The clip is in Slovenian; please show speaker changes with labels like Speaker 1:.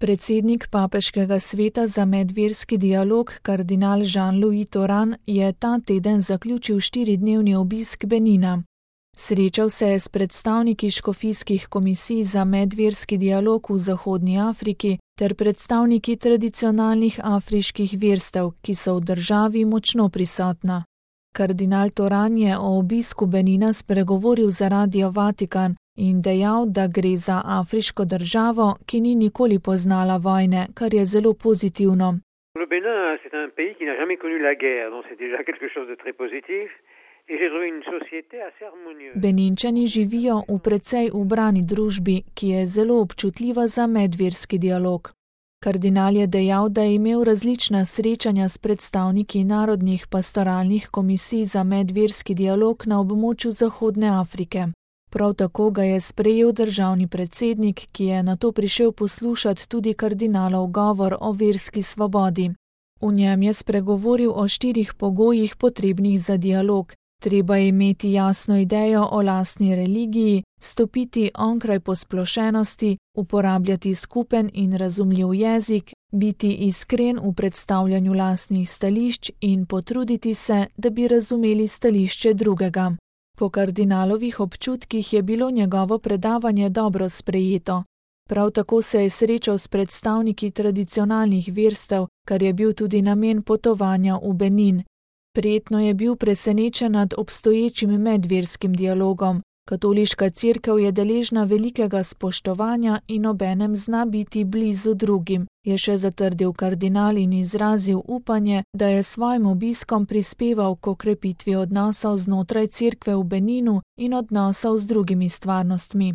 Speaker 1: Predsednik Papeškega sveta za medverski dialog, kardinal Jean-Louis Tauran, je ta teden zaključil 4-dnevni obisk Benina. Srečal se je s predstavniki škofijskih komisij za medverski dialog v Zahodni Afriki ter predstavniki tradicionalnih afriških verstev, ki so v državi močno prisotna. Kardinal Tauran je o obisku Benina spregovoril za Radio Vatikan in dejal, da gre za afriško državo, ki ni nikoli poznala vojne, kar je zelo pozitivno.
Speaker 2: Le Bénin, c'est un pays qui n'a jamais connu la guerre, donc c'est déjà quelque chose de très positif.
Speaker 1: Beninčani živijo v precej ubrani družbi, ki je zelo občutljiva za medverski dialog. Kardinal je dejal, da je imel različna srečanja s predstavniki narodnih pastoralnih komisij za medverski dialog na območju Zahodne Afrike. Prav tako ga je sprejel državni predsednik, ki je nato prišel poslušati tudi kardinalov govor o verski svobodi. V njem je spregovoril o 4 pogojih potrebnih za dialog. Treba je imeti jasno idejo o lastni religiji, stopiti onkraj posplošenosti, uporabljati skupen in razumljiv jezik, biti iskren v predstavljanju lastnih stališč in potruditi se, da bi razumeli stališče drugega. Po kardinalovih občutkih je bilo njegovo predavanje dobro sprejeto. Prav tako se je srečal s predstavniki tradicionalnih verstev, kar je bil tudi namen potovanja v Benin. Prijetno je bil presenečen nad obstoječim medverskim dialogom. Katoliška cerkev je deležna velikega spoštovanja in obenem zna biti blizu drugim, je še zatrdil kardinal in izrazil upanje, da je svojim obiskom prispeval k okrepitvi odnosov znotraj cerkve v Beninu in odnosov z drugimi stvarnostmi.